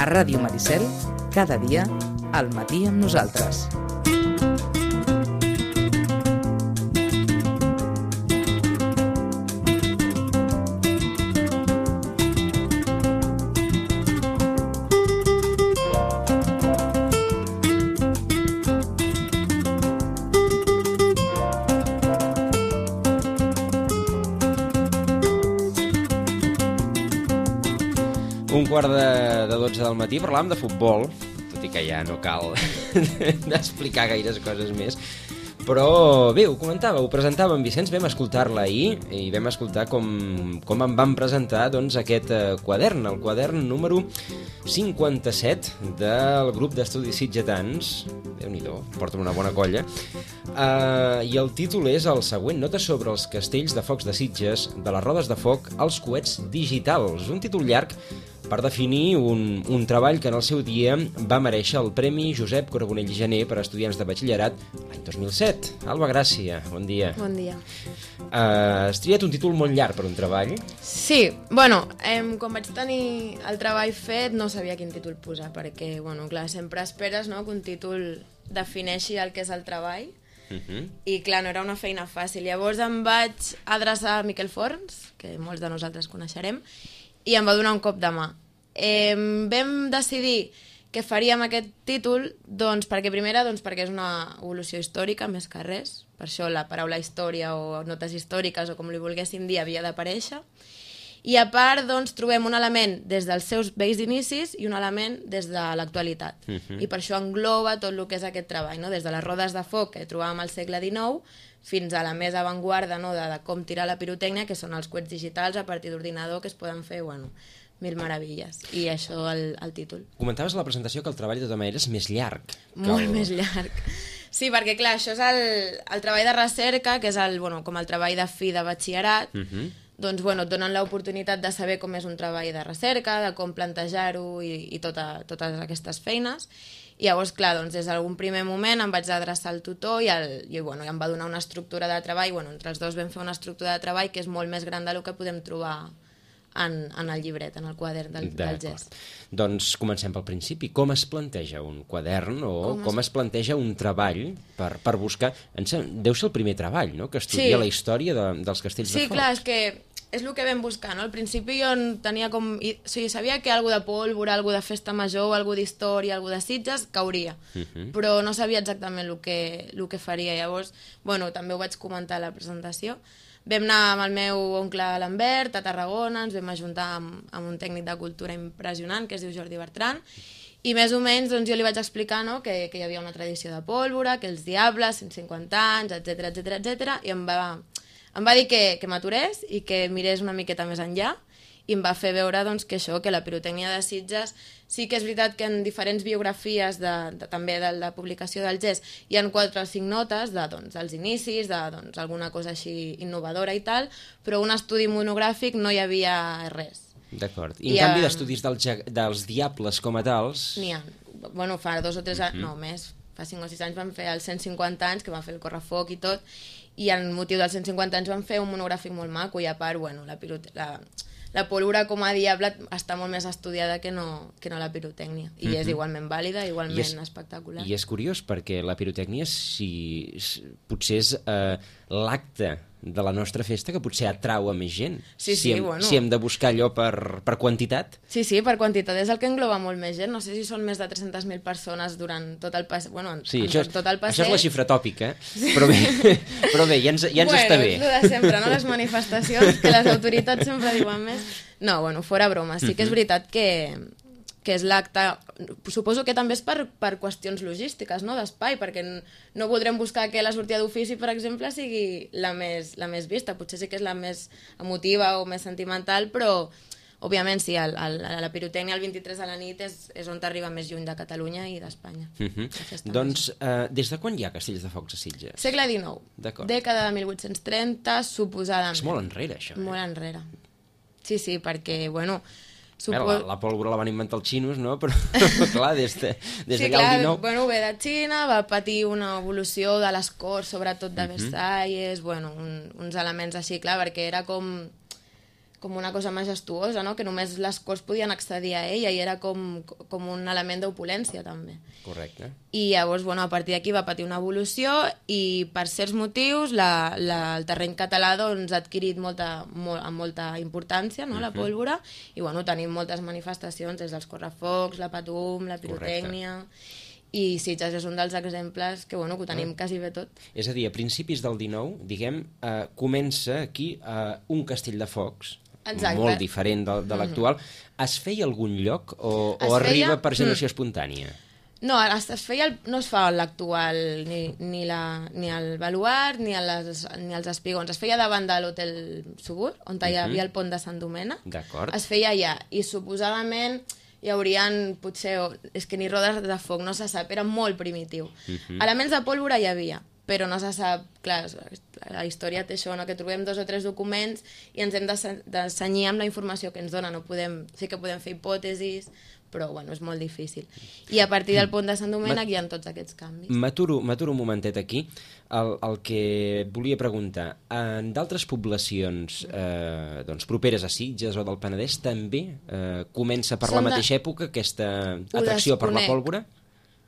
A Ràdio Maricel, cada dia, al matí amb nosaltres. Un quart de 12 del matí parlàvem de futbol, tot i que ja no cal explicar gaires coses més. Però bé, ho comentava, ho presentava en Vicenç, vam escoltar-la ahir i vam escoltar com em van presentar doncs, aquest quadern, el quadern número 57 del grup d'estudis sitgetans. Déu-n'hi-do, porten una bona colla. I el títol és el següent: Notes sobre els castells de focs de Sitges, de les rodes de foc als coets digitals. Un títol llarg per definir un treball que en el seu dia va merèixer el Premi Josep Carbonell Gener per a estudiants de batxillerat l'any 2007. Alba Gràcia, bon dia. Bon dia. Has triat un títol molt llarg per un treball? Sí, bueno, quan vaig tenir el treball fet no sabia quin títol posar, perquè, bueno, clar, sempre esperes, no?, que un títol defineixi el que és el treball, i clar, no era una feina fàcil. Llavors em vaig adreçar a Miquel Forns, que molts de nosaltres coneixerem, i em va donar un cop de mà. Vam decidir que faríem aquest títol, doncs, perquè és una evolució històrica, més que res. Per això la paraula història o notes històriques, o com li volguéssim dir, havia d'aparèixer. I a part, doncs, trobem un element des dels seus vells inicis i un element des de l'actualitat. I per això engloba tot el que és aquest treball, no? Des de les rodes de foc que trobàvem al segle XIX fins a la més avantguarda, no?, de com tirar la pirotècnia, que són els coets digitals a partir d'ordinador, que es poden fer, bueno, mil meravelles. I això el títol. Comentaves a la presentació que el treball de tota manera és més llarg. Molt més llarg. Sí, perquè clar, això és el treball de recerca, que és com el treball de fi de batxillerat. Doncs et donen l'oportunitat de saber com és un treball de recerca, de com plantejar-ho i totes aquestes feines. I llavors, clar, doncs, des d'algun primer moment em vaig adreçar al tutor i em va donar una estructura de treball. Entre els dos vam fer una estructura de treball que és molt més gran del que podem trobar en el llibret, en el quadern del gest. Doncs comencem pel principi. Com es planteja un quadern o com es planteja un treball per buscar... Deu ser el primer treball, no?, que estudia la història dels castells de foc. Sí, clar, és que és el que vam buscar, no? Al principi jo tenia sabia que algú de pólvora, algú de festa major, algú d'història, algú de Sitges cauria, però no sabia exactament el que faria. Llavors, també ho vaig comentar a la presentació. Vam anar amb el meu oncle Lambert a Tarragona, ens vam ajuntar amb un tècnic de cultura impressionant que es diu Jordi Bertran, i més o menys jo li vaig explicar, no?, que hi havia una tradició de pólvora, que els diables, 150 anys, etc, i em va dir que m'aturés i que mirés una miqueta més enllà, i em va fer veure que que la pirotècnia de Sitges sí que és veritat que en diferents biografies també de la publicació del gest hi ha 4 o 5 notes dels inicis, alguna cosa així innovadora i tal, però un estudi monogràfic no hi havia res. D'acord. I en canvi d'estudis dels diables com a tals... N'hi ha. Fa 2 o 3 anys, no més, fa 5 o 6 anys van fer els 150 anys, que van fer el correfoc i tot, i en motiu dels 150 anys van fer un monogràfic molt maco, i a part, la pólvora com a diable està molt més estudiada que no la pirotècnia, i és igualment vàlida, igualment espectacular. I és curiós perquè la pirotècnia potser és l'acte de la nostra festa que potser atrau a més gent. Si hem de buscar allò per quantitat. Sí, per quantitat és el que engloba molt més gent. No sé si són més de 300.000 persones durant tot el passeig. Això és la xifra tòpica, però bé, ja ens està bé. És el de sempre, no? Les manifestacions, que les autoritats sempre diuen més. No, fora broma. Sí que és veritat que és l'acte... Suposo que també és per qüestions logístiques, no?, d'espai, perquè no voldrem buscar que la sortida d'ofici, per exemple, sigui la més vista. Potser sí que és la més emotiva o més sentimental, però, òbviament, sí, la pirotècnia el 23 a la nit és on t'arriba més lluny de Catalunya i d'Espanya. Doncs, des de quan hi ha castells de focs a Sitges? Segle XIX. Dècada de 1830, suposadament. És molt enrere, això. Molt enrere. Sí, perquè, La pólvora la van inventar els xinos, no? Però, clar, des d'allà el 19... ve de Xina, va patir una evolució de les corts, sobretot de Versalles, uns elements així, clar, perquè era com com una cosa majestuosa, no? Que només les corts podien accedir a ella i era com un element d'opulència també. Correcte. I llavors, a partir d'aquí va patir una evolució i per certs motius el terreny català doncs, ha adquirit molta importància, no? La pólvora, i tenim moltes manifestacions des dels correfocs, la patum, la pirotècnia... I Sitges és un dels exemples que ho tenim quasi bé tot. És a dir, a principis del 19, diguem, comença aquí un castell de focs, molt diferent de l'actual. Es feia algun lloc o arriba per generació espontània? No, no es fa l'actual, ni el baluart, ni els espigons. Es feia davant de l'hotel Subur, on hi havia el pont de Sant Domènec. D'acord. Es feia allà, i suposadament hi haurien, potser, és que ni rodes de foc, no se sap, era molt primitiu. Elements de pólvora hi havia, però no se sap, clar, la història té això, no? Que trobem 2 o 3 documents i ens hem de cenyir amb la informació que ens dona. Sí que podem fer hipòtesis, però és molt difícil. I a partir del pont de Sant Domènec hi ha tots aquests canvis. M'aturo un momentet aquí. El que volia preguntar, en d'altres poblacions properes a Sitges o del Penedès també comença per la mateixa època aquesta atracció per la pólvora?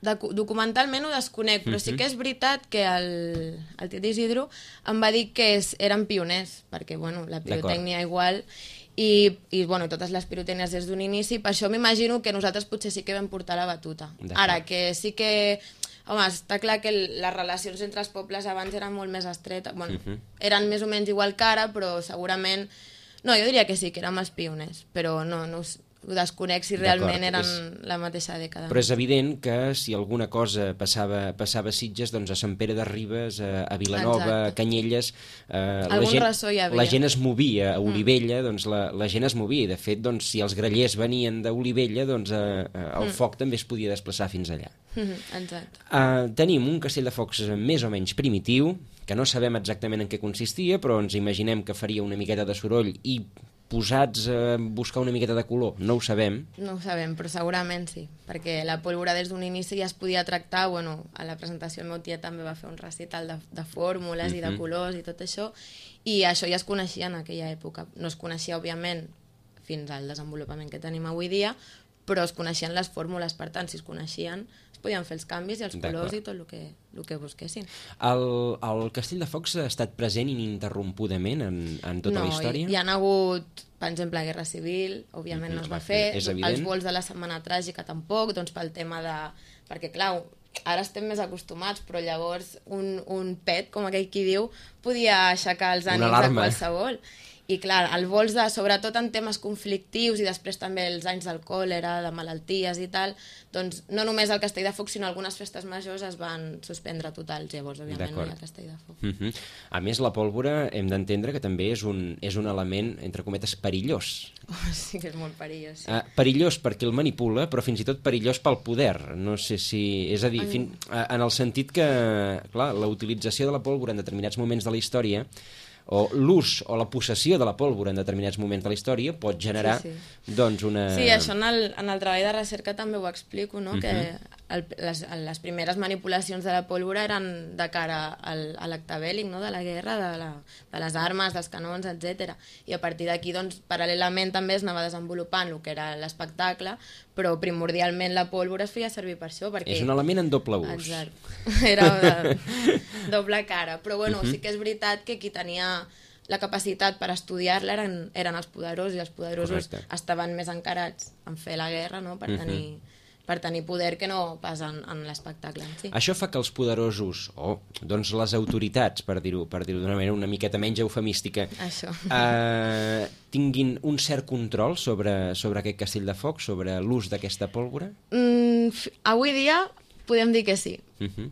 Documentalment ho desconec, però sí que és veritat que el Tit Isidro em va dir que eren pioners, perquè la pirotècnia igual... I totes les pirotècnies des d'un inici, per això m'imagino que nosaltres potser sí que vam portar la batuta. Ara, que sí que... Home, està clar que les relacions entre els pobles abans eren molt més estretes. Eren més o menys igual que ara, però segurament... No, jo diria que sí, que érem els pioners, però no ho desconec si realment eren la mateixa dècada. Però és evident que si alguna cosa passava a Sitges, doncs a Sant Pere de Ribes, a Vilanova, a Canyelles... La gent es movia a Olivella, doncs la gent es movia. I de fet, doncs, si els grallers venien d'Olivella, doncs el foc també es podia desplaçar fins allà. Exacte. Tenim un castell de focs més o menys primitiu, que no sabem exactament en què consistia, però ens imaginem que faria una miqueta de soroll i posats a buscar una miqueta de color, no ho sabem. No ho sabem, però segurament sí, perquè la pólvora des d'un inici ja es podia tractar, a la presentació el meu tia també va fer un recital de fórmules i de colors i tot això, i això ja es coneixia en aquella època. No es coneixia, òbviament, fins al desenvolupament que tenim avui dia, però es coneixien les fórmules, per tant, si es coneixien, es podien fer els canvis i els colors i tot el que busquessin. El Castell de Focs ha estat present ininterrompudament en tota la història? No, hi ha hagut, per exemple, Guerra Civil, òbviament no es va fer, els vols de la Setmana Tràgica tampoc, doncs pel tema de... Perquè, clar, ara estem més acostumats, però llavors un pet, com aquell qui diu, podia aixecar els ànims de qualsevol. I clar, el vols sobretot en temes conflictius i després també els anys del còlera, de malalties i tal, doncs no només el Castell de Foc, sinó algunes festes majors es van suspendre totals, llavors òbviament no hi ha Castell de Foc. A més, la pólvora hem d'entendre que també és un element, entre cometes, perillós. Sí que és molt perillós, sí. Perillós perquè el manipula, però fins i tot perillós pel poder. No sé si... És a dir, en el sentit que, clar, la utilització de la pólvora en determinats moments de la història o l'ús o la possessió de la pólvora en determinats moments de la història pot generar doncs una... Sí, això en el treball de recerca també ho explico, no? Que les primeres manipulacions de la pólvora eren de cara a l'acte bèl·lic, no? De la guerra, de les armes, dels canons, etc. I a partir d'aquí, doncs, paral·lelament també es anava desenvolupant el que era l'espectacle, però primordialment la pólvora es feia servir per això. Perquè... És un element en doble ús. Exacte. Era de doble cara. Però bueno, sí que és veritat que qui tenia la capacitat per estudiar-la eren els poderosos, i els poderosos estaven més encarats en fer la guerra, no? Per tenir poder que no pas en l'espectacle en si. Això fa que els poderosos, doncs les autoritats, per dir-ho d'una manera una miqueta menys eufemística, tinguin un cert control sobre aquest castell de foc, sobre l'ús d'aquesta pólvora? Avui dia podem dir que sí,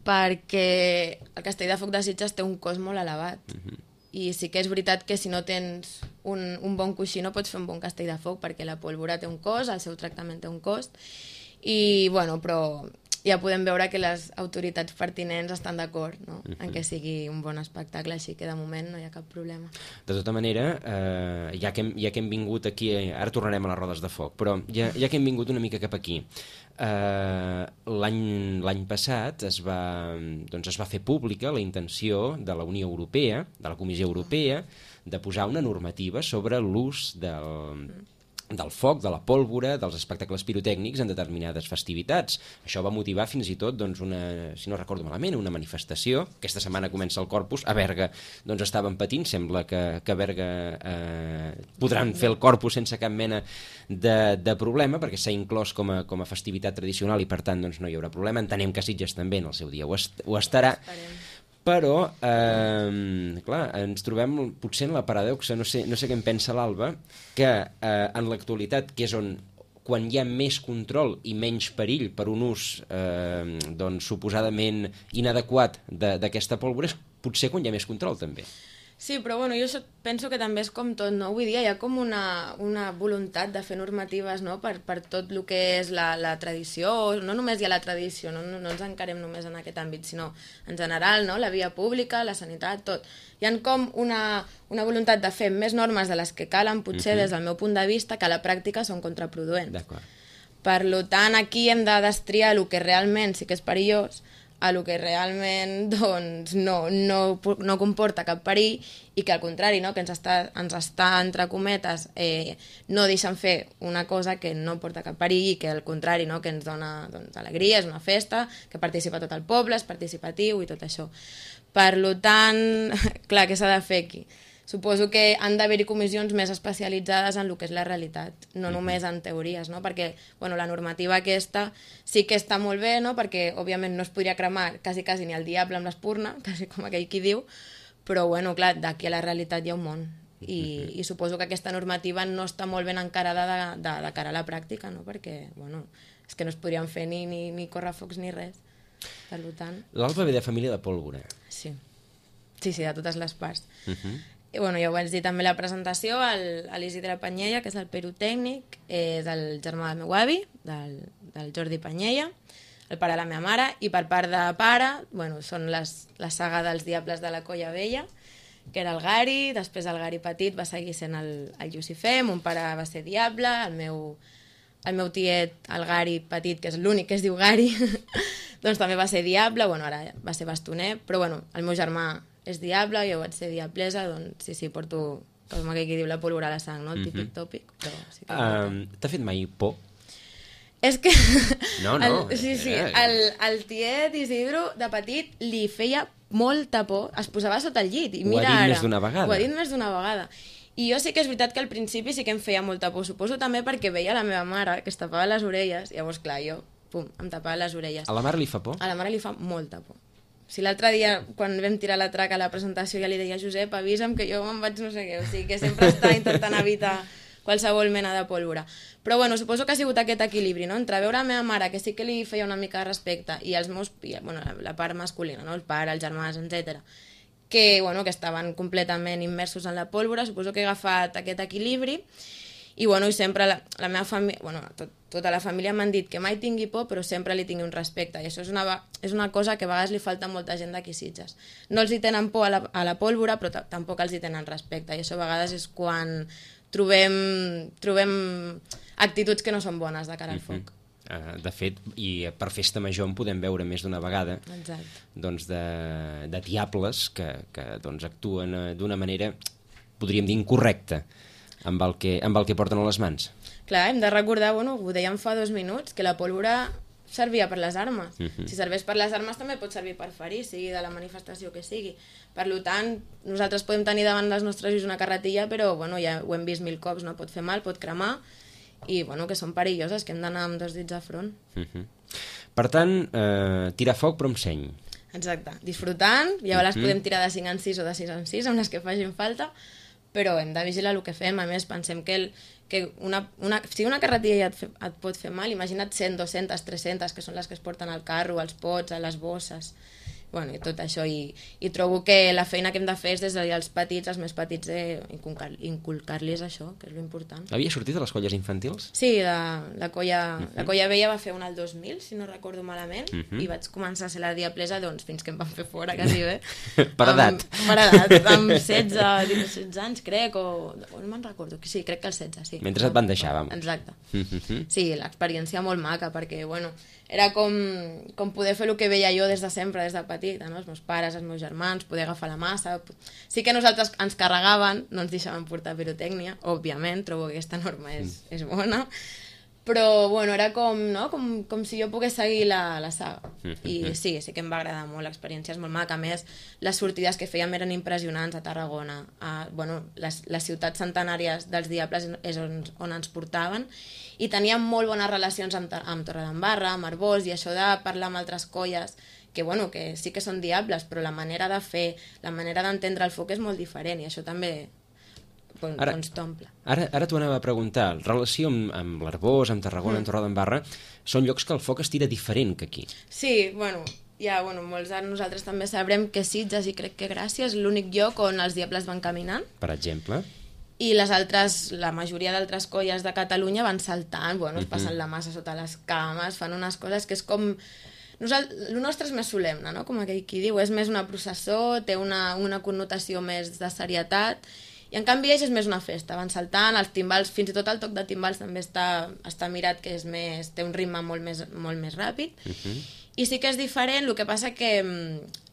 perquè el castell de foc de Sitges té un cost molt elevat. I sí que és veritat que si no tens un bon coixí no pots fer un bon castell de foc, perquè la pólvora té un cost, el seu tractament té un cost, i bueno, però ja podem veure que les autoritats pertinents estan d'acord, no? En que sigui un bon espectacle, així que de moment no hi ha cap problema. De tota manera, ja que hem vingut aquí, ara tornarem a les rodes de foc, però ja que hem vingut una mica cap aquí, l'any passat es va fer pública la intenció de la Unió Europea, de la Comissió Europea, de posar una normativa sobre l'ús del foc, de la pólvora, dels espectacles pirotècnics en determinades festivitats. Això va motivar fins i tot, doncs, si no recordo malament, una manifestació. Aquesta setmana comença el Corpus. A Berga doncs, estaven patint. Sembla que a Berga podran fer el Corpus sense cap mena de problema, perquè s'ha inclòs com a festivitat tradicional i, per tant, doncs, no hi haurà problema. Entenem que Sitges també en el seu dia ho estarà. Però, clar, ens trobem potser en la paradoxa, no sé què en pensa l'Alba, que en l'actualitat, que és on quan hi ha més control i menys perill per un ús doncs, suposadament inadequat d'aquesta pólvora, és potser quan hi ha més control també. Sí, però bueno, jo penso que també és com tot, no? Avui dia hi ha com una voluntat de fer normatives, no? per tot el que és la tradició, no només hi ha la tradició, no ens encarem només en aquest àmbit, sinó en general, no? La via pública, la sanitat, tot. Hi ha com una voluntat de fer més normes de les que calen, potser des del meu punt de vista, que a la pràctica són contraproduents. D'acord. Per tant, aquí hem de destriar el que realment sí que és perillós, a lo que realment doncs, no comporta cap perill i que al contrari, no? Que ens està entre cometes no deixen fer una cosa que no porta cap perill i que al contrari, no? Que ens dona doncs, alegria, és una festa, que participa tot el poble, és participatiu i tot això. Per tant, clar, què s'ha de fer aquí? Suposo que han d'haver-hi comissions més especialitzades en el que és la realitat, no només en teories, no? Perquè bueno, la normativa aquesta sí que està molt bé, no? Perquè òbviament no es podria cremar quasi ni el diable amb l'espurna, quasi com aquell qui diu, però bueno, clar, d'aquí a la realitat hi ha un món. I suposo que aquesta normativa no està molt ben encarada de cara a la pràctica, no? Perquè bueno, és que no es podrien fer ni correfocs ni res. Per tant... L'Alba ve de família de pólvora. Sí, de totes les parts. I bueno, ja ho vaig dir també a la presentació, l'Isidre Panyella, que és el pirotècnic, és el germà del meu avi, del Jordi Panyella, el pare de la meva mare, i per part de pare, bueno, són la saga dels Diables de la Colla Vella, que era el Gari, després el Gari petit va seguir sent el Llucifer, mon pare va ser Diable, el meu tiet, el Gari petit, que és l'únic que es diu Gari, doncs també va ser Diable, bueno, ara va ser bastoner, però bueno, el meu germà és Diable, jo vaig ser Diablesa, doncs sí, porto, com aquell que diu, la pólvora a la sang, no? El típic tòpic, però sí que... T'ha fet mai por? És que... No. Sí, el tiet Isidro, de petit, li feia molta por, es posava sota el llit, i mira ara... Ho ha dit més d'una vegada. Ho ha dit més d'una vegada. I jo sí que és veritat que al principi sí que em feia molta por, suposo també perquè veia la meva mare, que es tapava les orelles, i llavors, clar, jo, em tapava les orelles. A la mare li fa por? A la mare li fa molta por. Si l'altre dia, quan vam tirar la traca a la presentació, ja li deia, Josep, avisa'm que jo me'n vaig no sé què, o sigui que sempre està intentant evitar qualsevol mena de pólvora. Però bueno, suposo que ha sigut aquest equilibri, no? Entre veure la meva mare, que sí que li feia una mica de respecte, i els meus, bueno, la part masculina, no? El pare, els germans, etc. Que estaven completament immersos en la pólvora, suposo que he agafat aquest equilibri, i bueno, i sempre la meva família, bueno, tota la família m'han dit que mai tingui por, però sempre li tingui un respecte, i això és una cosa que a vegades li falta a molta gent d'aquí Sitges. No els hi tenen por a la pólvora, però tampoc els hi tenen respecte, i això a vegades és quan trobem actituds que no són bones de cara al foc. De fet, i per festa major en podem veure més d'una vegada. Exacte. Doncs de diables que doncs actuen d'una manera, podríem dir, incorrecta amb el que porten a les mans. Clar, hem de recordar, bueno, ho dèiem fa 2 minuts, que la pólvora servia per les armes. Si serveix per les armes també pot servir per ferir, sigui de la manifestació que sigui. Per tant, nosaltres podem tenir davant dels nostres ulls una carretilla, però bueno, ja ho hem vist 1000 cops, no? Pot fer mal, pot cremar, i bueno, que són perilloses, que hem d'anar amb 2 dits de front. Per tant, tirar foc però amb seny. Exacte, disfrutant, ja les podem tirar de 5 en 6 o de 6 en 6, amb les que facin falta, però hem de vigilar el que fem. A més, pensem que si una carretilla ja et pot fer mal, imagina't 100, 200, 300, que són les que es porten al carro, als pots, a les bosses, bueno, i tot això, i trobo que la feina que hem de fer és des dels petits, els més petits, inculcar-los això, que és l'important. Havia sortit a les colles infantils? Sí, la Colla Vella va fer una al 2000, si no recordo malament, i vaig començar a ser la diablesa doncs, fins que em van fer fora, quasi bé. Per edat. Per edat, amb 16 anys, crec, o no me'n recordo, sí, crec que els 16, sí. Mentre et van deixar, vamos. Exacte. Sí, l'experiència molt maca, perquè, bueno, era com poder fer el que veia jo des de sempre, des de petita, no? Els meus pares, els meus germans, poder agafar la massa... Sí que nosaltres ens carregaven, no ens deixaven portar pirotècnia, òbviament, trobo que aquesta norma és bona, però, bueno, era com, no? com si jo pogués seguir la saga. I sí que em va agradar molt, l'experiència és molt maca. A més, les sortides que fèiem eren impressionants a Tarragona. Les ciutats centenàries dels Diables és on ens portaven, i teníem molt bones relacions amb Torredembarra, amb Arbós, i això de parlar amb altres colles, que, bueno, que sí que són Diables, però la manera de fer, la manera d'entendre el foc és molt diferent, i això també... doncs t'omple. Ara t'ho anava a preguntar. Relació amb l'Arbós, amb Tarragona, amb Torredembarra, són llocs que el foc es tira diferent que aquí. Sí, molts de nosaltres també sabrem que Sitges, i crec que Gràcia, és l'únic lloc on els Diables van caminant. Per exemple? I la majoria d'altres colles de Catalunya van saltant, es passen la massa sota les cames, fan unes coses que és com... El nostre és més solemne, no? Com aquell qui diu, és més una processó, té una connotació més de serietat, i en canvi ells és més una festa, van saltant, els timbals, fins i tot el toc de timbals també està mirat, que és més, té un ritme molt més ràpid, i sí que és diferent. El que passa que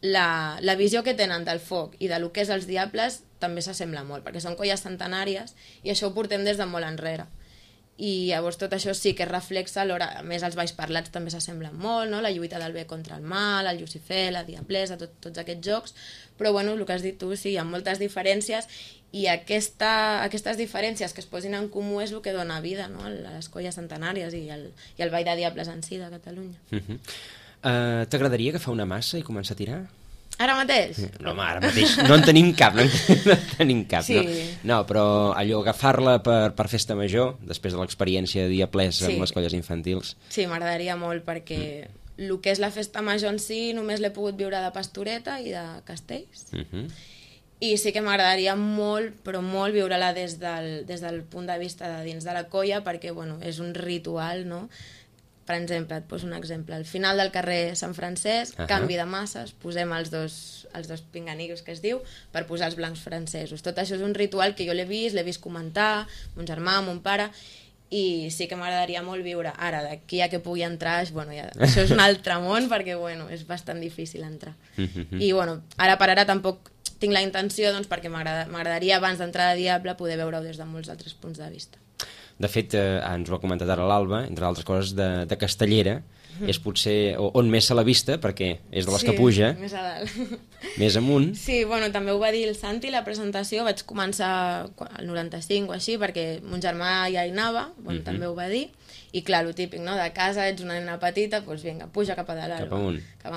la visió que tenen del foc i del que és els Diables també s'assembla molt, perquè són colles centenàries i això ho portem des de molt enrere. I llavors tot això sí que es reflexa a l'hora, a més els balls parlats també s'assemblen molt, no? La lluita del bé contra el mal, el Llucifer, la Diablesa, tots aquests jocs, però el que has dit tu, sí, hi ha moltes diferències, i aquestes diferències que es posin en comú és el que dona vida, no? A les colles centenàries i el ball de Diables en si de Catalunya. T'agradaria agafar una massa i començar a tirar? Ara mateix? No, home, ara mateix no en tenim cap, sí. No, però allò, agafar-la per festa major, després de l'experiència de Diables amb les colles infantils. Sí, m'agradaria molt, perquè el que és la festa major en si només l'he pogut viure de Pastoreta i de Castells, i sí que m'agradaria molt, però molt, viure-la des del punt de vista de dins de la colla, perquè és un ritual, no? Per exemple, et poso un exemple. Al final del carrer Sant Francesc, canvi de masses, posem els dos pinganillos que es diu, per posar els blancs francesos. Tot això és un ritual que jo l'he vist comentar, mon germà, mon pare, i sí que m'agradaria molt viure. Ara, d'aquí a que pugui entrar, això és un altre món, perquè és bastant difícil entrar. I ara per ara tampoc tinc la intenció, perquè m'agradaria abans d'entrar a Diable poder veure-ho des de molts altres punts de vista. De fet, ens ho ha comentat ara l'Alba, entre altres coses, de Castellera, és potser on més se l'ha vista, perquè és de les que puja. Sí, més a dalt. Més amunt. Sí, també ho va dir el Santi, la presentació, vaig començar al 95 o així, perquè mon germà ja hi anava, també ho va dir, i clar, el típic, no?, de casa, ets una nena petita, doncs vinga, puja cap a dalt. Cap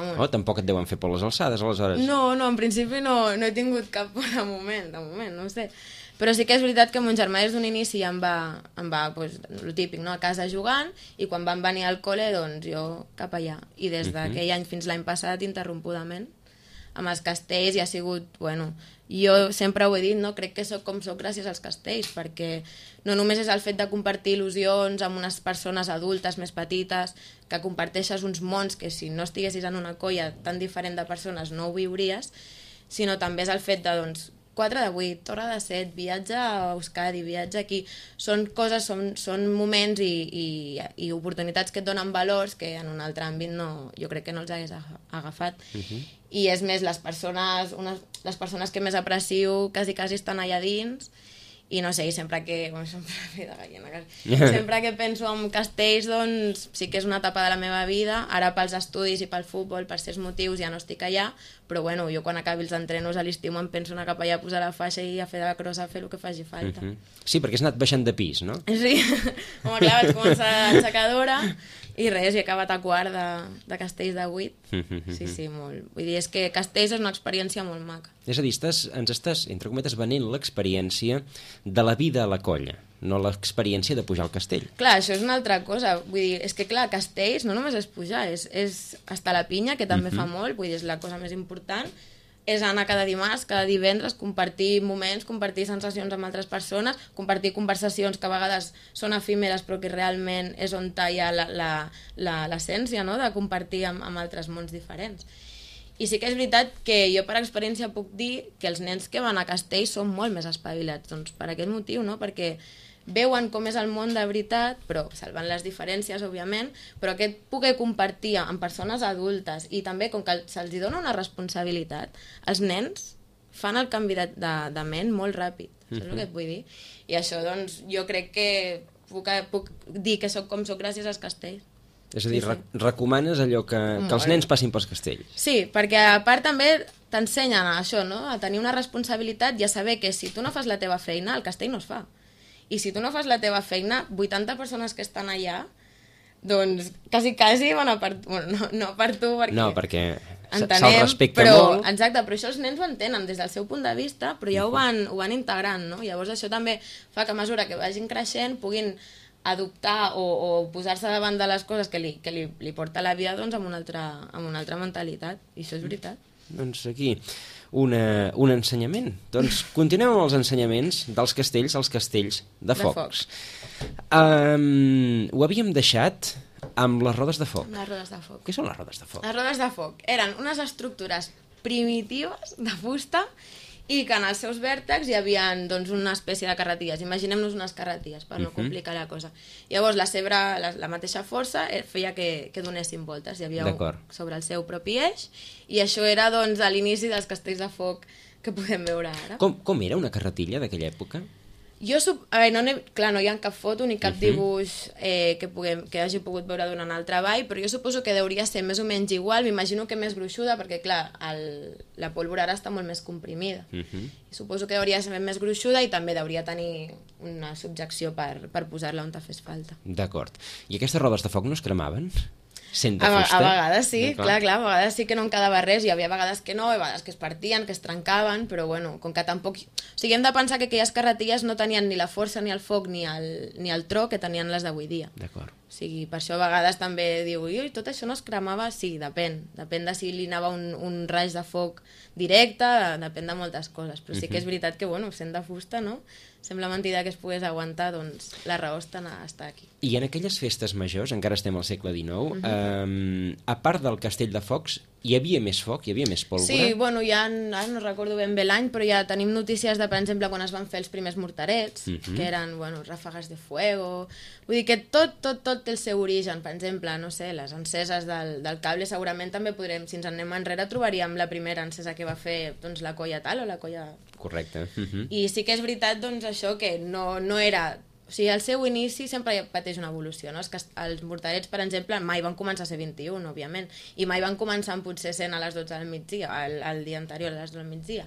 amunt. Oh, tampoc et deuen fer por les alçades, aleshores. No, en principi no he tingut cap por de moment, no ho sé. Però sí que és veritat que mon germà des d'un inici em va el típic, no?, a casa jugant, i quan van venir al col·le, doncs jo cap allà. I des d'aquell any fins l'any passat, interrompudament, amb els castells, i ha sigut, jo sempre ho he dit, no?, crec que soc com soc gràcies als castells, perquè no només és el fet de compartir il·lusions amb unes persones adultes més petites, que comparteixes uns mons que si no estiguessis en una colla tan diferent de persones no ho viuries, sinó també és el fet de, 4 de 8, Torre de 7, viatge a Euskadi, viatge aquí, són coses, són moments i oportunitats que et donen valors que en un altre àmbit jo crec que no els hagués agafat. I és més, les persones que més aprecio quasi estan allà dins, i no sé, sempre que penso en castells, doncs sí que és una etapa de la meva vida. Ara pels estudis i pel futbol, per certs motius, ja no estic allà, però jo quan acabi els entrenos a l'estiu em penso anar cap allà a posar la faixa i a fer de crossa, a fer el que faci falta. Sí, perquè has anat baixant de pis, no? Sí, home, clar, vaig començar aixecadora i res, he acabat a quart de castells de 8. Sí, molt. Vull dir, és que castells és una experiència molt maca. És a dir, ens estàs, entre cometes, venent l'experiència de la vida a la colla, no l'experiència de pujar al castell. Clar, això és una altra cosa. Vull dir, és que clar, castells no només és pujar, és estar a la pinya, que també fa molt, vull dir, és la cosa més important, és anar cada dimarts, cada divendres, compartir moments, compartir sensacions amb altres persones, compartir conversacions que a vegades són efímeres però que realment és on hi ha l'essència, no?, de compartir amb altres mons diferents. I sí que és veritat que jo per experiència puc dir que els nens que van a castell són molt més espavilats, doncs per aquest motiu, no?, perquè veuen com és el món de veritat, però salvant les diferències, òbviament, però aquest poder compartir amb persones adultes i també com que se'ls dona una responsabilitat, els nens fan el canvi de ment molt ràpid, això és el que et vull dir. I això, doncs, jo crec que puc dir que soc com soc gràcies als castells. És a dir, recomanes allò que els nens passin pels castells. Sí, perquè a part també t'ensenyen a això, no? A tenir una responsabilitat i a saber que si tu no fas la teva feina, el castell no es fa. I si tu no fas la teva feina, 80 persones que estan allà, doncs quasi van a per... Bueno, no per tu, perquè... No, perquè entenem, se'l respecta però, molt. exacte, però això els nens ho entenen des del seu punt de vista, però ja ho van integrant, no? Llavors això també fa que a mesura que vagin creixent puguin adoptar o posar-se davant de les coses que li porta la vida, doncs, amb una altra mentalitat, i això és veritat. Doncs aquí, un ensenyament. Doncs continuem amb els ensenyaments dels castells als castells de focs. Ho havíem deixat amb les rodes de foc. Les rodes de foc. Què són les rodes de foc? Les rodes de foc eren unes estructures primitives de fusta i que en els seus vèrtexs hi havia, doncs, una espècie de carretilles. Imaginem-nos unes carretilles, per no complicar la cosa. Llavors, la mateixa força feia que donessin voltes. Hi havia sobre el seu propi eix, i això era, doncs, a l'inici dels castells de foc que podem veure ara. Com era una carretilla d'aquella època? Clar, no hi ha cap foto ni cap dibuix que hagi pogut veure durant el treball, però jo suposo que hauria ser més o menys igual, m'imagino que més gruixuda, perquè clar, la pólvora ara està molt més comprimida. Suposo que hauria ser més gruixuda i també hauria tenir una subjecció per posar-la on te fes falta. D'acord. I aquestes rodes de foc no es cremaven? Sent de fusta? A vegades sí, clar, a vegades sí que no en quedava res, hi havia vegades que no, i vegades que es partien, que es trencaven, però bueno, com que tampoc... O sigui, hem de pensar que aquelles carretilles no tenien ni la força, ni el foc, ni el tro que tenien les d'avui dia. D'acord. O sigui, per això a vegades també diu, ui, tot això no es cremava? Sí, depèn de si li anava un raig de foc directe, depèn de moltes coses, però sí que és veritat que, bueno, sent de fusta, no? Sembla mentida que es pogués aguantar, doncs la raó està aquí. I en aquelles festes majors, encara estem al segle XIX, a part del castell de focs, hi havia més foc, hi havia més pólvora? Sí, bueno, ara no recordo ben bé l'any, però ja tenim notícies de, per exemple, quan es van fer els primers morterets, que eren, bueno, ràfegues de fuego... Vull dir que tot té el seu origen. Per exemple, no sé, les enceses del cable segurament també podrem, si ens anem enrere, trobaríem la primera encesa que va fer, doncs, la colla tal o la colla... Correcte. I sí que és veritat, doncs, això que no era... O sigui, al seu inici sempre pateix una evolució, no? Els morterets, per exemple, mai van començar a ser 21, òbviament, i mai van començar potser sent a les 12 del migdia, el dia anterior a les 12 del migdia.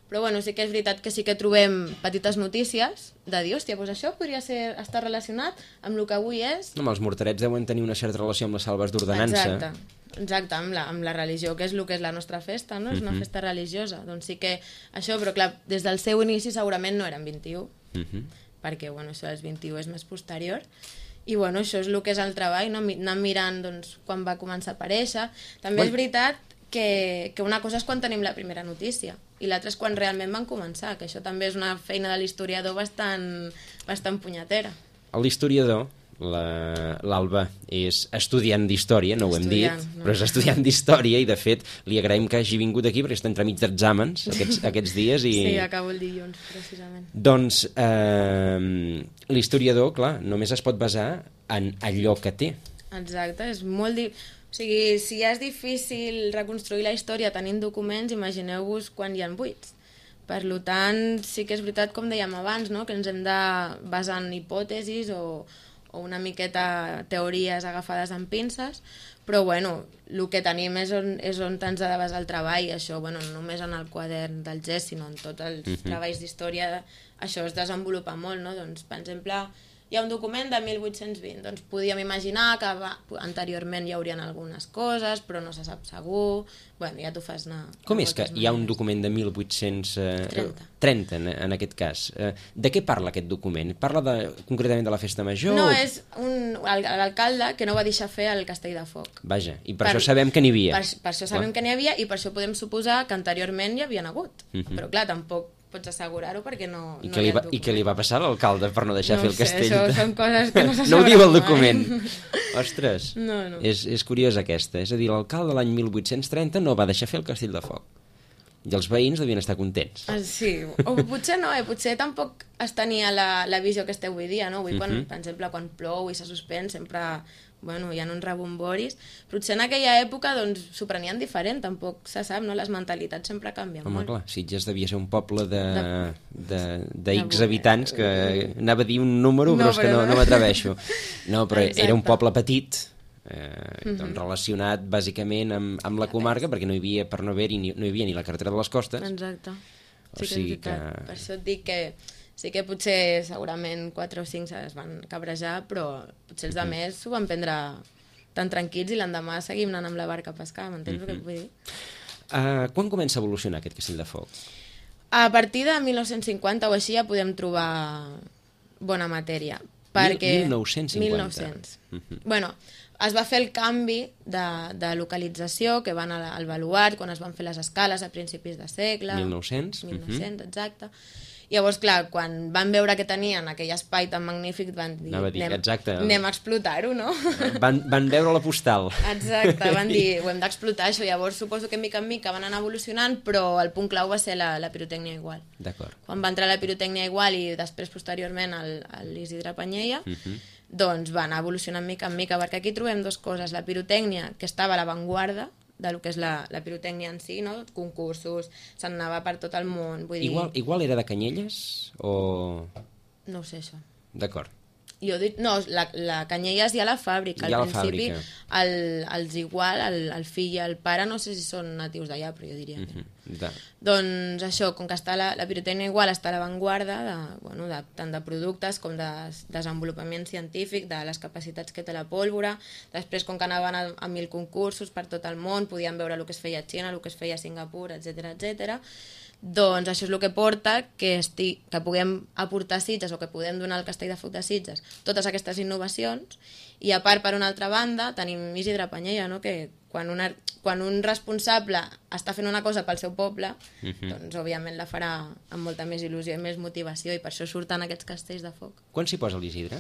Però bueno, sí que és veritat que sí que trobem petites notícies de dir, hòstia, doncs això podria estar relacionat amb el que avui és... No, els morterets deuen tenir una certa relació amb les salves d'ordenança. Exacte, amb la religió, que és el que és la nostra festa, no? És una festa religiosa. Doncs sí que això, però clar, des del seu inici segurament no eren 21, perquè, bueno, això dels 21 és més posterior. I, bueno, això és el que és el treball, no? Anar mirant, doncs, quan va començar a aparèixer. També és veritat que una cosa és quan tenim la primera notícia i l'altra és quan realment van començar, que això també és una feina de l'historiador bastant punyetera. L'historiador, l'Alba, és estudiant d'història, no ho hem dit, però és estudiant d'història i de fet li agraïm que hagi vingut aquí perquè està entremig d'exàmens aquests dies i... Sí, acabo el dilluns, precisament. Doncs l'historiador, clar, només es pot basar en allò que té. Exacte, és molt... O sigui, si ja és difícil reconstruir la història tenint documents, imagineu-vos quan hi ha buits. Per tant, sí que és veritat, com dèiem abans, no? Que ens hem de basar en hipòtesis o una miqueta teories agafades amb pinces, però bueno, el que tenim és on ens ha de basar el treball, això, bueno, no només en el quadern del GES, sinó en tots els treballs d'història, això es desenvolupa molt, no? Doncs, per exemple, hi ha un document de 1820, doncs podíem imaginar que anteriorment hi haurien algunes coses, però no se sap segur, bueno, ja t'ho fas anar... Com és que hi ha un document de 1830 en aquest cas? De què parla aquest document? Parla concretament de la festa major? No, és l'alcalde que no va deixar fer el castell de foc. Vaja, i per això sabem que n'hi havia. Per això sabem que n'hi havia i per això podem suposar que anteriorment hi havien hagut, però clar, tampoc pots assegurar-ho perquè no hi ha document. I què li va passar a l'alcalde per no deixar fer el castell? No sé, això són coses que no se saben. No ho diu el document. Ostres, no. És curiosa aquesta. És a dir, l'alcalde l'any 1830 no va deixar fer el castell de foc. I els veïns devien estar contents. Sí, o potser no, potser tampoc es tenia la visió que esteu avui dia, no? Avui, per exemple, quan plou i se suspèn, sempre hi ha uns rebomboris. Potser en aquella època s'ho prenien diferent, tampoc se sap, no? Les mentalitats sempre canvien molt. Home, clar, Sitges devia ser un poble de X habitants, que anava a dir un número, però és que no m'atreveixo. No, però era un poble petit, relacionat bàsicament amb la comarca, perquè no hi havia, per no hi havia ni la carretera de les Costes. Exacte. O sigui que... Per això et dic que sí que potser segurament 4 o 5 es van cabrejar, però potser els altres s'ho van prendre tan tranquils i l'endemà seguim anant amb la barca a pescar, m'entens el que et vull dir? Quan comença a evolucionar aquest castell de foc? A partir de 1950 o així ja podem trobar bona matèria. 1950. Bueno, es va fer el canvi de localització, que van al baluart, quan es van fer les escales a principis de segle. 1900. 1900, exacte. Llavors, clar, quan van veure que tenien aquell espai tan magnífic, van dir, anem a explotar-ho, no? Van veure la postal. Exacte, van dir, ho hem d'explotar, això. Llavors, suposo que mica en mica van anar evolucionant, però el punt clau va ser la pirotècnia igual. D'acord. Quan va entrar la pirotècnia igual i després, posteriorment, l'Isidre Panyella, doncs va anar evolucionant mica en mica, perquè aquí trobem dues coses. La pirotècnia, que estava a l'avantguarda del que és la pirotècnia en si, no? Concursos, se'n anava per tot el món. Vull dir... Igual era de Canyelles o...? No ho sé, això. D'acord. Jo dic, no, la Canyelles hi ha la fàbrica. Al principi, els Igual, el fill i el pare, no sé si són natius d'allà, però jo diria que... Doncs això, com que està la pirotècnia Igual està a l'avantguarda tant de productes com de desenvolupament científic, de les capacitats que té la pólvora. Després, com que anaven a 1000 concursos per tot el món, podien veure el que es feia a Xina, el que es feia a Singapur, etc. Doncs això és el que porta que puguem aportar a Sitges o que podem donar al Castell de Foc de Sitges totes aquestes innovacions. I a part, per una altra banda, tenim Isidre Panyella, no? Que quan un responsable està fent una cosa pel seu poble, doncs òbviament la farà amb molta més il·lusió i més motivació, i per això surten aquests castells de foc. Quan s'hi posa l'Isidre?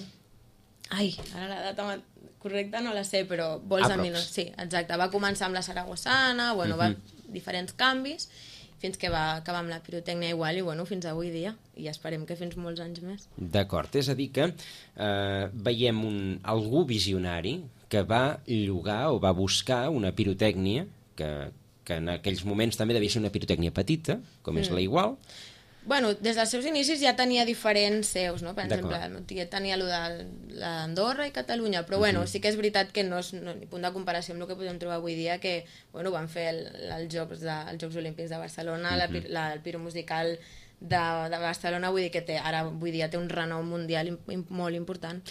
Ai, ara la data correcta no la sé, però vols a mi no... Sí, exacte, va començar amb la Saragossana, va diferents canvis, fins que va acabar amb la pirotècnia Igual i fins avui dia, i esperem que fins molts anys més. D'acord, és a dir que veiem algú visionari que va llogar o va buscar una pirotècnia que en aquells moments també devia ser una pirotècnia petita, com és la Igual. Bueno, des dels seus inicis ja tenia diferents seus, no? Per exemple, tenia allò de l'Andorra i Catalunya, però sí que és veritat que no és ni punt de comparació amb el que podem trobar avui dia, que van fer els Jocs Olímpics de Barcelona, el piromusical de Barcelona, vull dir que avui dia té un renom mundial molt important.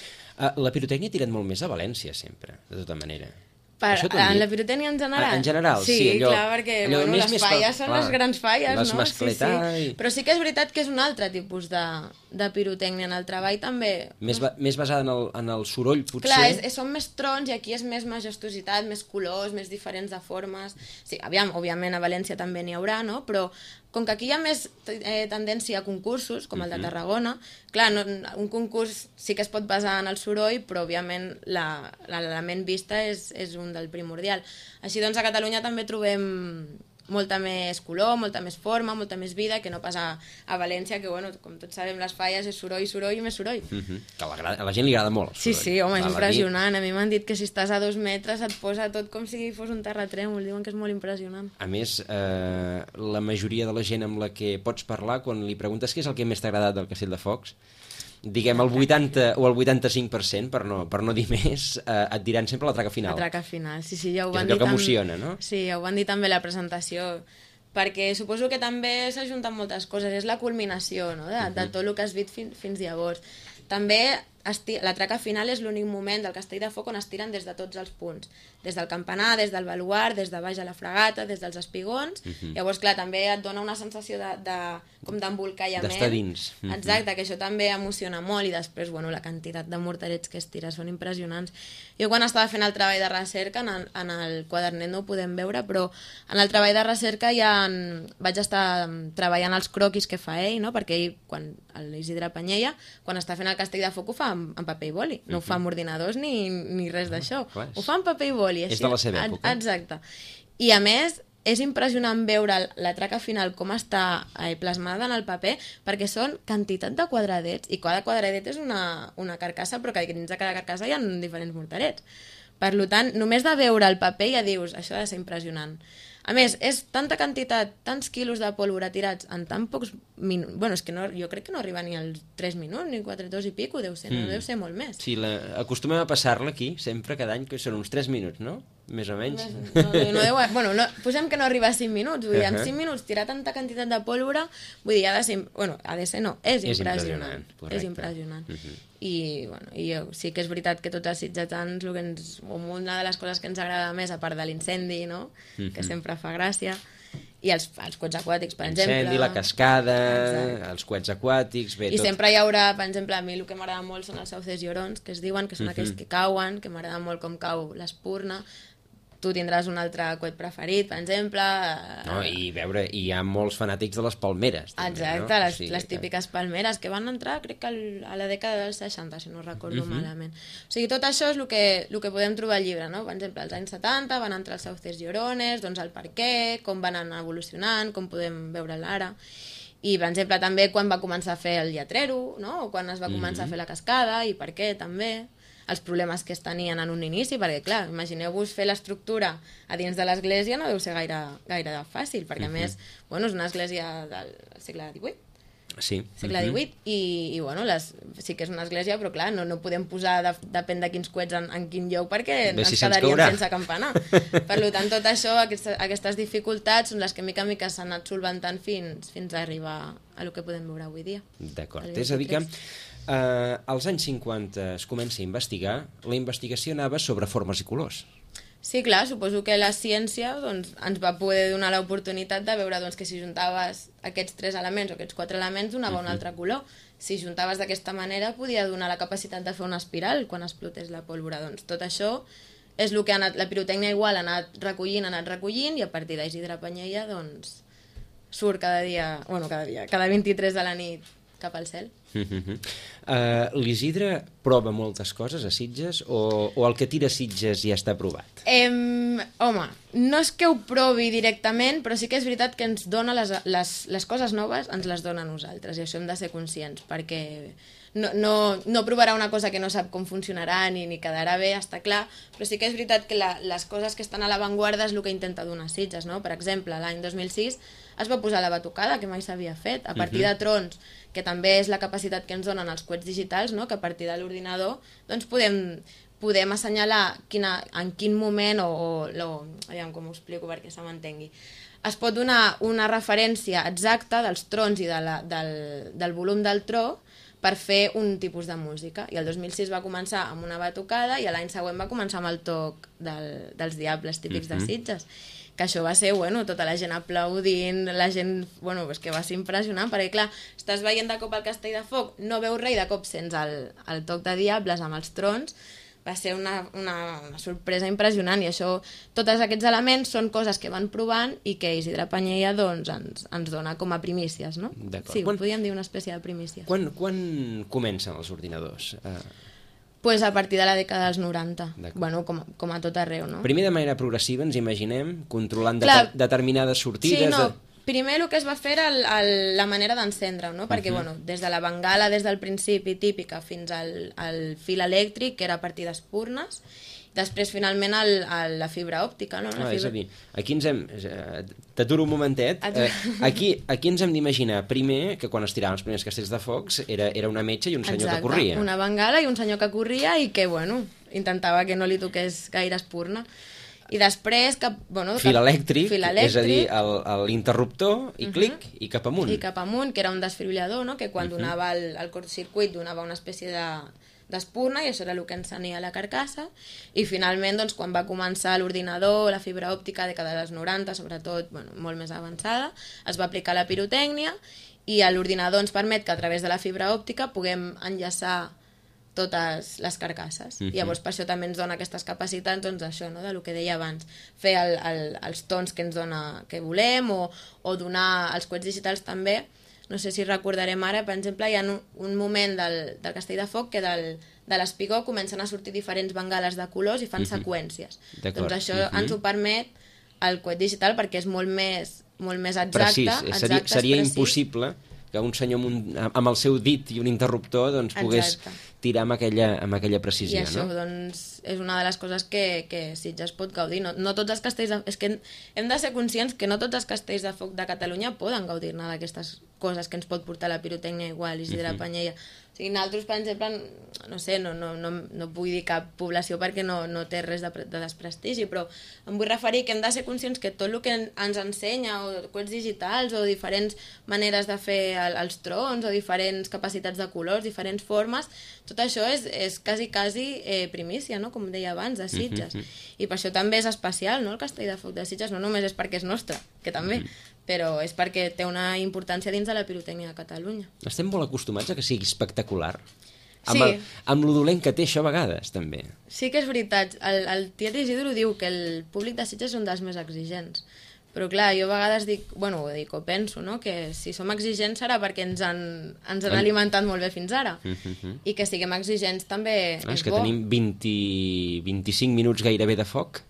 La pirotècnia ha tirat molt més a València sempre, de tota manera. En la pirotènia en general? En general, sí. Clar, perquè les falles són les grans falles, no? Les mascletar... Però sí que és veritat que és un altre tipus de pirotècnia. En el treball també... Més basada en el soroll, potser? Clar, són més trons i aquí és més majestuositat, més colors, més diferents de formes. Sí, òbviament a València també n'hi haurà, no? Però com que aquí hi ha més tendència a concursos, com el de Tarragona, clar, un concurs sí que es pot basar en el soroll, però òbviament l'element vista és un del primordial. Així doncs a Catalunya també trobem molta més color, molta més forma, molta més vida, que no pas a València, que com tots sabem les falles és soroll, soroll i més soroll. Que a la gent li agrada molt el soroll. Sí, home, és impressionant. A mi m'han dit que si estàs a 2 metres et posa tot com si fos un terratrèmol, diuen que és molt impressionant. A més, la majoria de la gent amb la que pots parlar, quan li preguntes què és el que més t'ha agradat del Castell de Focs, diguem el 80 o el 85%, per no dir més, et diran sempre la traca final. La traca final, sí, ja ho van dir. Que és allò que emociona, no? Sí, ja ho van dir també a la presentació, perquè suposo que també s'ajunten moltes coses, és la culminació, no?, de tot el que has vist fins llavors. També la traca final és l'únic moment del Castell de Foc on es tiren des de tots els punts, des del campanar, des del baluart, des de baix a la fragata, des dels espigons. Llavors, clar, també et dona una sensació com d'embolcallament. D'estar dins. Exacte, que això també emociona molt, i després, la quantitat de morterets que es tira són impressionants. Jo quan estava fent el treball de recerca, en el quadernet no ho podem veure, però en el treball de recerca vaig estar treballant els croquis que fa ell, no? Perquè ell, l'Isidre Panyella, quan està fent el Castell de Foc ho fa amb paper i boli, no ho fa amb ordinadors ni res d'això, ho fa amb paper i boli. És de la seva època. Exacte. I a més, és impressionant veure la traca final com està plasmada en el paper, perquè són quantitat de quadradets, i cada quadradet és una carcassa, però que dins de cada carcassa hi ha diferents morterets. Per tant, només de veure el paper ja dius, això ha de ser impressionant. A més, és tanta quantitat, tants quilos de pólvora tirats en tan pocs minuts. Bueno, és que jo crec que no arriba ni als 3 minuts, ni 4, 2 i pico, deu ser, no deu ser molt més. Sí, acostumem a passar-la aquí, sempre, cada any, que són uns 3 minuts, no? Més o menys. Bueno, posem que no arriba a 5 minuts, vull dir, en 5 minuts tirar tanta quantitat de pólvora, vull dir, ha de ser no, és impressionant. És impressionant. I sí que és veritat que tots els sitgetans, una de les coses que ens agrada més, a part de l'incendi, no? Que sempre fa gràcia, i els coets aquàtics, per exemple. L'incendi, la cascada, els coets aquàtics... I sempre hi haurà, per exemple, a mi el que m'agrada molt són els sauces llorons, que es diuen, que són aquells que cauen, que m'agrada molt com cau l'espurna. Tu tindràs un altre coet preferit, per exemple... No, i hi ha molts fanàtics de les palmeres. També, exacte, no? les típiques palmeres que van entrar, crec que a la dècada dels 60, si no recordo malament. O sigui, tot això és el que podem trobar al llibre, no? Per exemple, als anys 70 van entrar els sauces llorones, doncs el per què, com van anar evolucionant, com podem veure l'ara. I, per exemple, també quan va començar a fer el lletrero, no? O quan es va començar a fer la cascada, i per què, també. Els problemes que es tenien en un inici, perquè, clar, imagineu-vos fer l'estructura a dins de l'església no deu ser gaire fàcil, perquè, a més, bueno, és una església del segle XVIII. Sí. Segle XVIII, i bueno, sí que és una església, però, clar, no podem posar, depèn de quins coets, en quin lloc, perquè ens quedaríem sense campanar. Per tant, tot això, aquestes dificultats, són les que mica en mica s'han anat solventant fins a arribar a el que podem veure avui dia. D'acord, és a dir que... als anys 50 es comença a investigar, la investigació anava sobre formes i colors. Sí, clar, suposo que la ciència doncs, ens va poder donar l'oportunitat de veure doncs, que si juntaves aquests 3 elements o aquests 4 elements donava un altre color. Si juntaves d'aquesta manera podia donar la capacitat de fer una espiral quan explotés la pólvora. Doncs tot això és el que la pirotècnia igual ha anat recollint, i a partir d'Isidre Panyella doncs, surt cada 23 de la nit cap al cel. L'Isidre prova moltes coses a Sitges o el que tira a Sitges ja està provat? Home, no és que ho provi directament, però sí que és veritat que ens dona les coses noves, ens les dona a nosaltres, i això hem de ser conscients, perquè no provarà una cosa que no sap com funcionarà ni quedarà bé, està clar, però sí que és veritat que les coses que estan a l'avantguarda és el que intenta donar Sitges, no? Per exemple, l'any 2006 es va posar la batucada, que mai s'havia fet, a partir de trons, que també és la capacitat que ens donen els coets digitals, no? Que a partir de l'ordinador doncs podem assenyalar en quin moment, aviam com ho explico perquè se m'entengui, es pot donar una referència exacta dels trons i del volum del tro per fer un tipus de música. I el 2006 va començar amb una batucada i l'any següent va començar amb el toc dels diables típics de Sitges. Que això va ser, tota la gent aplaudint, la gent, és que va ser impressionant, perquè clar, estàs veient de cop el Castell de Foc, no veus res i de cop sents el toc de diables amb els trons, va ser una sorpresa impressionant, i això, tots aquests elements són coses que van provant i que Isidre Panyella doncs, ens dona com a primícies, no? Sí, podríem dir una espècie de primícies. Quan comencen els ordinadors? Pues a partir de la dècada dels 90, com a tot arreu, no? Primer de manera progressiva, ens imaginem, controlant determinades sortides... Sí, no, primer el que es va fer era la manera d'encendre-ho, no? Perquè, des de la bengala, des del principi típica, fins al fil elèctric, que era a partir d'espurnes, després, finalment, la fibra òptica, no? És a dir, aquí ens hem... T'aturo un momentet. Aquí ens hem d'imaginar, primer, que quan es tiraven els primers castells de focs era una metxa i un senyor que corria. Exacte, una bengala i un senyor que corria i que, intentava que no li toqués gaire espurna. I després... Fil elèctric, és a dir, l'interruptor, i clic, i cap amunt. I cap amunt, que era un desfibrilador, no? Que quan donava el curtcircuit donava una espècie d'espurna, i això era el que encenia la carcassa, i finalment quan va començar l'ordinador, la fibra òptica de dels 90, sobretot molt més avançada, es va aplicar la pirotècnia, i l'ordinador ens permet que a través de la fibra òptica puguem enllaçar totes les carcasses. Llavors per això també ens dona aquestes capacitats, doncs això, no? Del que deia abans, fer els tons que ens dona que volem, o donar els coets digitals també. No sé si recordarem ara, per exemple, hi ha un moment del Castell de Foc que de l'espigó comencen a sortir diferents bengales de colors i fan seqüències. Doncs això ens ho permet el coet digital perquè és molt més exacte. Precís. Seria impossible que un senyor amb el seu dit i un interruptor doncs, pogués tirar amb aquella precisió. I això doncs, és una de les coses que Sitges pot gaudir. No tots els castells és que hem de ser conscients que no tots els castells de foc de Catalunya poden gaudir-ne d'aquestes coses que ens pot portar la pirotècnia igual, Isidre Panyella. O sigui, nosaltres, per exemple, no sé, no vull dir cap població perquè no té res de desprestigi, però em vull referir que hem de ser conscients que tot el que ens ensenya, o coets digitals, o diferents maneres de fer els trons, o diferents capacitats de colors, diferents formes, tot això és quasi primícia, no? Com deia abans, de Sitges. I per això també és especial, no? El Castell de Foc de Sitges, no només és perquè és nostre, que també, però és perquè té una importància dins de la pirotècnia de Catalunya. Estem molt acostumats a que sigui espectacular. Sí. Amb lo dolent que té això a vegades, també. Sí que és veritat. El tiet Isidro diu que el públic de Sitges és un dels més exigents. Però clar, jo a vegades dic, o penso, no? Que si som exigents serà perquè ens han alimentat molt bé fins ara. I que siguem exigents també és que bo. tenim 25 minuts gairebé de foc.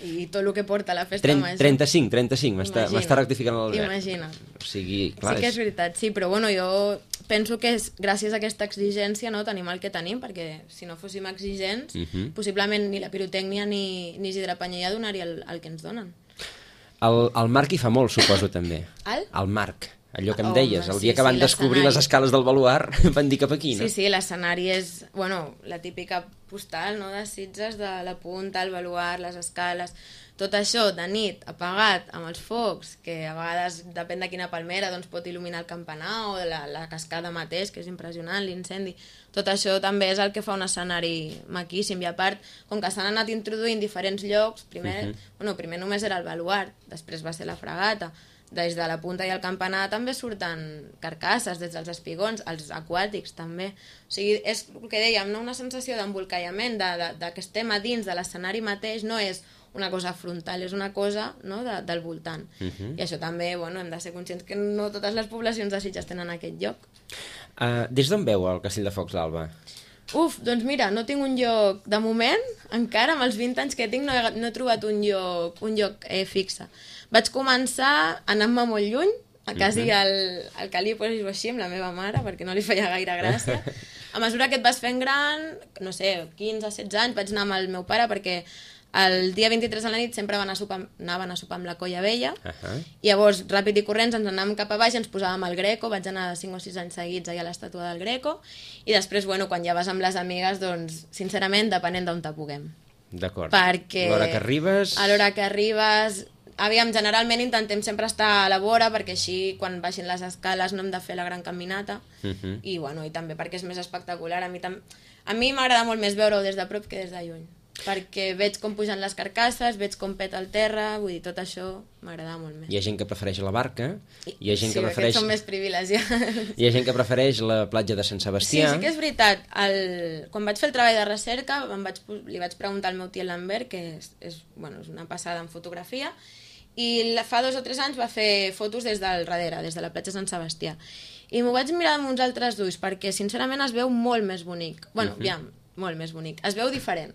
I tot el que porta la festa major. 35, m'està rectificant l'Albert. Imagina't. O sigui, clar, sí que és veritat, sí, però jo penso que és gràcies a aquesta exigència, no, tenim el que tenim, perquè si no fóssim exigents, possiblement ni la pirotècnia ni Isidre Panyella donaria el que ens donen. El Marc hi fa molt, suposo, també. El Marc. Allò que em deies, el dia que van descobrir les escales del baluart, van dir cap aquí, no? Sí, l'escenari és, la típica postal, no?, de Sitges, de la punta, el baluart, les escales, tot això de nit, apagat, amb els focs, que a vegades, depèn de quina palmera, doncs pot il·luminar el campanar o la cascada mateix, que és impressionant, l'incendi. Tot això també és el que fa un escenari maquíssim, i a part, com que s'han anat introduint diferents llocs, primer només era el baluart, després va ser la fragata, des de la punta i el campanar també surten carcasses, des dels espigons, els aquàtics també. O sigui, és el que dèiem, no? Una sensació d'embolcallament, de que estem a dins de l'escenari mateix, no és una cosa frontal, és una cosa, no?, del voltant. I això també, hem de ser conscients que no totes les poblacions de Sitges tenen aquest lloc. Des d'on veu el Castell de Focs d'Alba? Doncs mira, no tinc un lloc, de moment, encara amb els 20 anys que tinc no he trobat un lloc fixe. Vaig començar anant-me molt lluny, a quasi al Calipos i així, amb la meva mare, perquè no li feia gaire gràcia. A mesura que et vas fent gran, no sé, 15-16 anys, vaig anar amb el meu pare perquè el dia 23 a la nit sempre anaven a sopar amb la Colla Vella, i llavors, ràpid i corrents, ens anàvem cap a baix, ens posàvem al Greco, vaig anar 5 o 6 anys seguits allà a l'estàtua del Greco, i després, quan ja vas amb les amigues, doncs, sincerament, depenent d'on te puguem. D'acord. Perquè a l'hora que arribes... Aviam, generalment intentem sempre estar a la vora, perquè així, quan baixin les escales, no hem de fer la gran caminata, i també perquè és més espectacular. A mi m'agrada molt més veure-ho des de prop que des de lluny, perquè veig com pugen les carcasses, veig com peta el terra, vull dir, tot això m'agrada molt més. Hi ha gent que prefereix la barca, hi ha gent que prefereix... Sí, aquests són més privilegiats. Hi ha gent que prefereix la platja de Sant Sebastià. Sí que és veritat. Quan vaig fer el treball de recerca, li vaig preguntar al meu tiet Lambert, que és una passada en fotografia, i fa 2 o 3 anys va fer fotos des del darrere, des de la platja Sant Sebastià. I m'ho vaig mirar amb uns altres ulls, perquè sincerament es veu molt més bonic. Molt més bonic. Es veu diferent.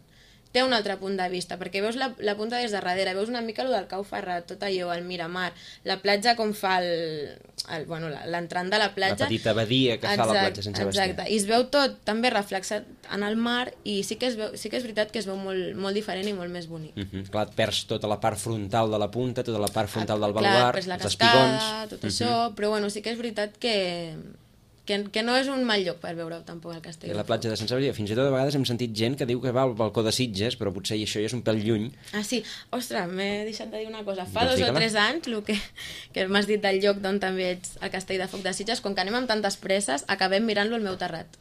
Té un altre punt de vista, perquè veus la punta des de darrere, veus una mica el del Cau Ferrat, tot allò, el Miramar, la platja com fa l'entrant de la platja. La petita badia que fa la platja Sant Sebastià. Exacte, i es veu tot també reflexat en el mar, i sí que és veritat que es veu molt, molt diferent i molt més bonic. Clar, et perds tota la part frontal de la punta, tota la part frontal del baluart, els espigons, tot això, però sí que és veritat que no és un mal lloc per veure tampoc el Castell. I la platja de Sant Sebastià, fins i tot a vegades hem sentit gent que diu que va al balcó de Sitges, però potser això ja és un pèl lluny. Ah, sí? Ostres, m'he deixat de dir una cosa. Fa 2 o 3 anys, el que m'has dit del lloc d'on també ets el Castell de Foc de Sitges, com que anem amb tantes presses, acabem mirant-lo al meu terrat.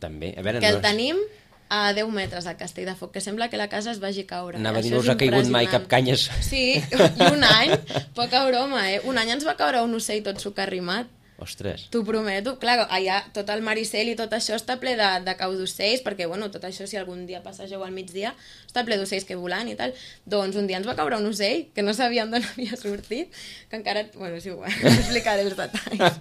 També, a veure... Que el tenim a 10 metres al Castell de Foc, que sembla que la casa es vagi caure. Anava a dir, no us ha caigut mai cap canyes. Sí, i un any, poca broma, Un any ens va caure un ocell tot socarrimat. Ostres. T'ho prometo. Clar, allà tot el Maricel i tot això està ple de cau d'ocells, perquè, bueno, tot això, si algun dia passegeu al migdia, està ple d'ocells que volant i tal. Doncs un dia ens va caure un ocell, que no sabíem d'on havia sortit, que encara... Bueno, sí, no explicaré els detalls.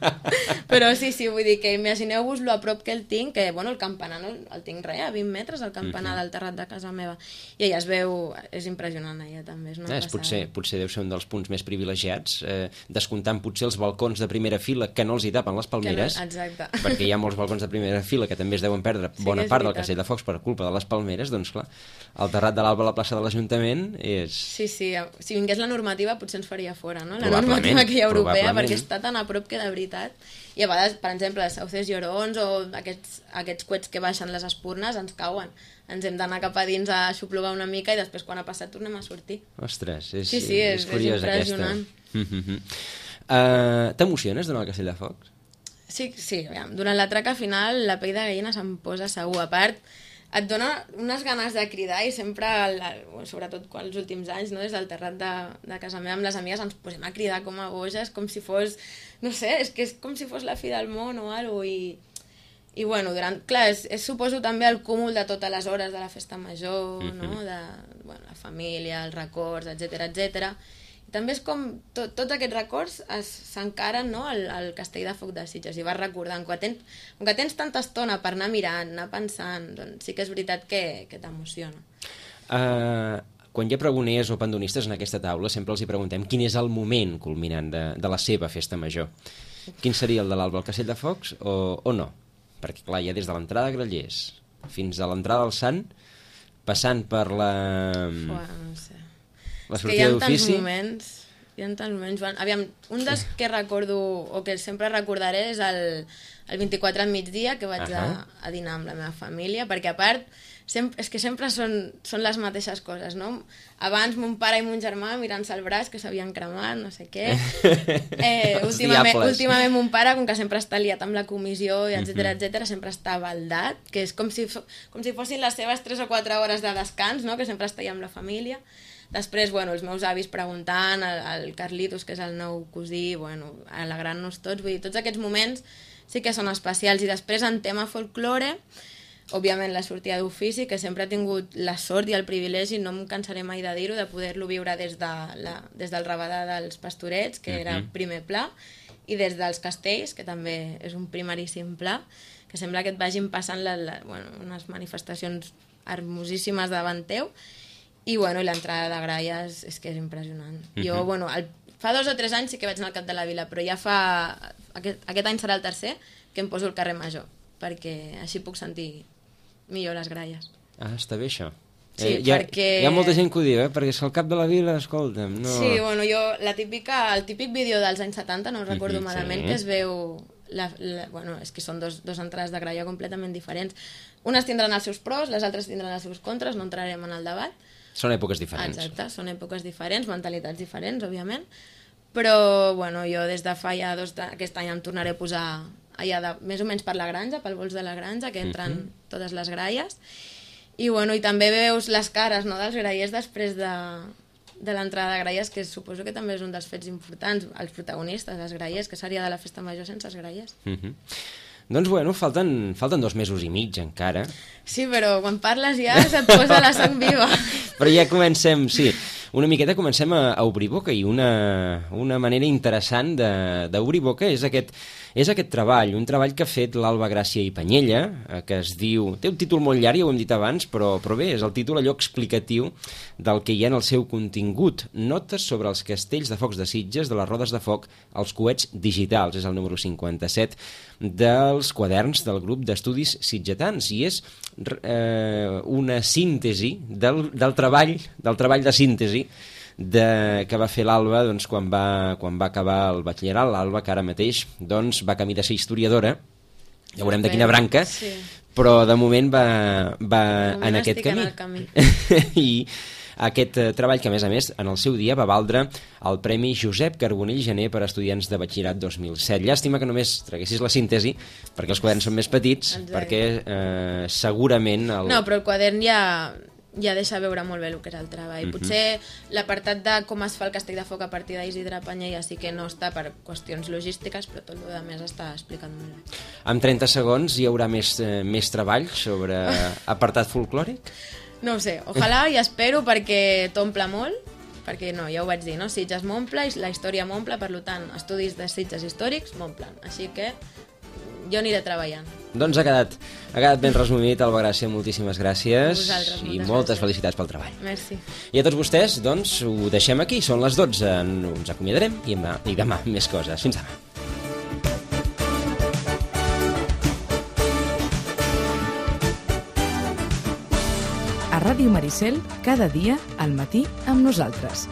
Però sí, vull dir que imagineu-vos lo a prop que el tinc, que, bueno, el campanar no el tinc res, a 20 metres, el campanar del terrat de casa meva. I allà es veu... És impressionant, allà també. És una passada. Potser deu ser un dels punts més privilegiats, descomptant potser els balcons de primera fila que no els hi tapen les palmeres, exacte. perquè hi ha molts balcons de primera fila que també es deuen perdre bona part del Castell de Focs per culpa de les palmeres, doncs clar, el terrat de l'Alba a la plaça de l'Ajuntament és... Sí, si vingués la normativa potser ens faria fora, no? La normativa que hi ha europea, perquè està tan a prop que de veritat. I a vegades, per exemple, els sauces llorons o aquests coets que baixen les espurnes ens cauen. Ens hem d'anar cap a dins a xuplugar una mica i després quan ha passat tornem a sortir. Ostres, és curiós impressionant. T'emociones durant el Castell de Focs? Sí, aviam. Durant la traca final la pell de gallina se'm posa segur. A part, et dona unes ganes de cridar i sempre, sobretot els últims anys, no, des del terrat de casa meva amb les amigues ens posem a cridar com a boges, com si fos, no sé, és que és com si fos la fi del món o alguna cosa. I bueno, clar, és suposo també el cúmul de totes les hores de la festa major, no? De la família, els records, etc. I també és com tots aquests records s'encaren, no, al Castell de Foc de Sitges i vas recordant. Com que tens tanta estona per anar mirant, anar pensant, doncs sí que és veritat que t'emociona. Quan hi ha pregoners o pandonistes en aquesta taula sempre els hi preguntem quin és el moment culminant de la seva festa major. Quin seria el de l'Alba al Castell de Focs o no? Perquè clar, hi ha des de l'entrada de Grallers fins a l'entrada del Sant, passant per la... No sé. La sortida d'ofici. Hi ha tants moments. Aviam, un dels que recordo, o que sempre recordaré, és el 24 al migdia, que vaig a dinar amb la meva família, perquè a part, és que sempre són les mateixes coses, no? Abans mon pare i mon germà mirant-se el braç, que s'havien cremat, no sé què. Últimament mon pare, com que sempre està liat amb la comissió, etc, sempre està baldat, que és com si fossin les seves 3 o 4 hores de descans, no? Que sempre està allà amb la família. Després, els meus avis preguntant, el Carlitos, que és el nou cosí, alegrant-nos tots, vull dir, tots aquests moments sí que són especials. I després, en tema folklore, òbviament la sortida d'ofici, que sempre he tingut la sort i el privilegi, no em cansaré mai de dir-ho, de poder-lo viure des del Rabadà dels Pastorets, que era primer pla, i des dels Castells, que també és un primeríssim pla, que sembla que et vagin passant unes manifestacions hermosíssimes davant teu. I l'entrada de gralles és que és impressionant. Jo, fa 2 o 3 anys sí que vaig anar al Cap de la Vila, però ja aquest any serà el tercer que em poso al carrer Major, perquè així puc sentir millor les gralles. Està bé això. Sí, perquè... Hi ha molta gent que ho diu, perquè és que al Cap de la Vila, escolta'm, no... Sí, jo, el típic vídeo dels anys 70, no ho recordo malament, que es veu... és que són dos entrades de gralla completament diferents. Unes tindran els seus pros, les altres tindran els seus contres, no entrarem en el debat. Són èpoques diferents. Exacte, són èpoques diferents, mentalitats diferents, òbviament, però jo des de fa ja aquest any em tornaré a posar allà més o menys per la granja, pel vols de la granja, que entren totes les gralles, i també veus les cares, no, dels grallers després de l'entrada de gralles, que suposo que també és un dels fets importants, els protagonistes, els grallers, que seria de la festa major sense els grallers. Doncs falten 2 mesos i mig encara. Sí, però quan parles ja se't posa la sang viva. Però ja comencem, sí, una miqueta comencem a obrir boca, i una manera interessant d'obrir boca és aquest treball, un treball que ha fet l'Alba Gràcia i Panyella, que es diu... Té un títol molt llarg, ja ho hem dit abans, però bé, és el títol allò explicatiu del que hi ha en el seu contingut. Notes sobre els castells de focs de Sitges, de les rodes de foc, als coets digitals. És el número 57 dels quaderns del grup d'estudis sitgetans, i és una síntesi del treball de síntesi que va fer l'Alba quan va acabar el batxillerat. L'Alba, que ara mateix va camí de ser historiadora, ja veurem de quina branca, però de moment va en aquest camí. I aquest treball, que a més en el seu dia va valdre el Premi Josep Carbonell Gené per a estudiants de batxillerat 2007. Llàstima que només traguessis la síntesi, perquè els quaderns són més petits, perquè segurament... No, però el quadern ja ja deixa veure molt bé el que és el treball. Potser l'apartat de com es fa el castell de foc a partir d'Isidre Panyella sí que no està per qüestions logístiques, però tot el que més està explicat molt bé. En 30 segons hi haurà més treball sobre apartat folclòric? No ho sé, ojalà i espero perquè t'omple molt, perquè no, ja ho vaig dir, no? Sitges m'omple i la història m'omple, per tant, estudis de Sitges històrics m'omplen, així que jo aniré treballant. Doncs ha quedat ben resumit, Alba Gràcia, moltíssimes gràcies i moltes felicitats pel treball. Merci. I a tots vostès, doncs, ho deixem aquí, són les 12, ens acomiadarem i demà més coses. Fins demà. A Ràdio Maricel, cada dia al matí amb nosaltres.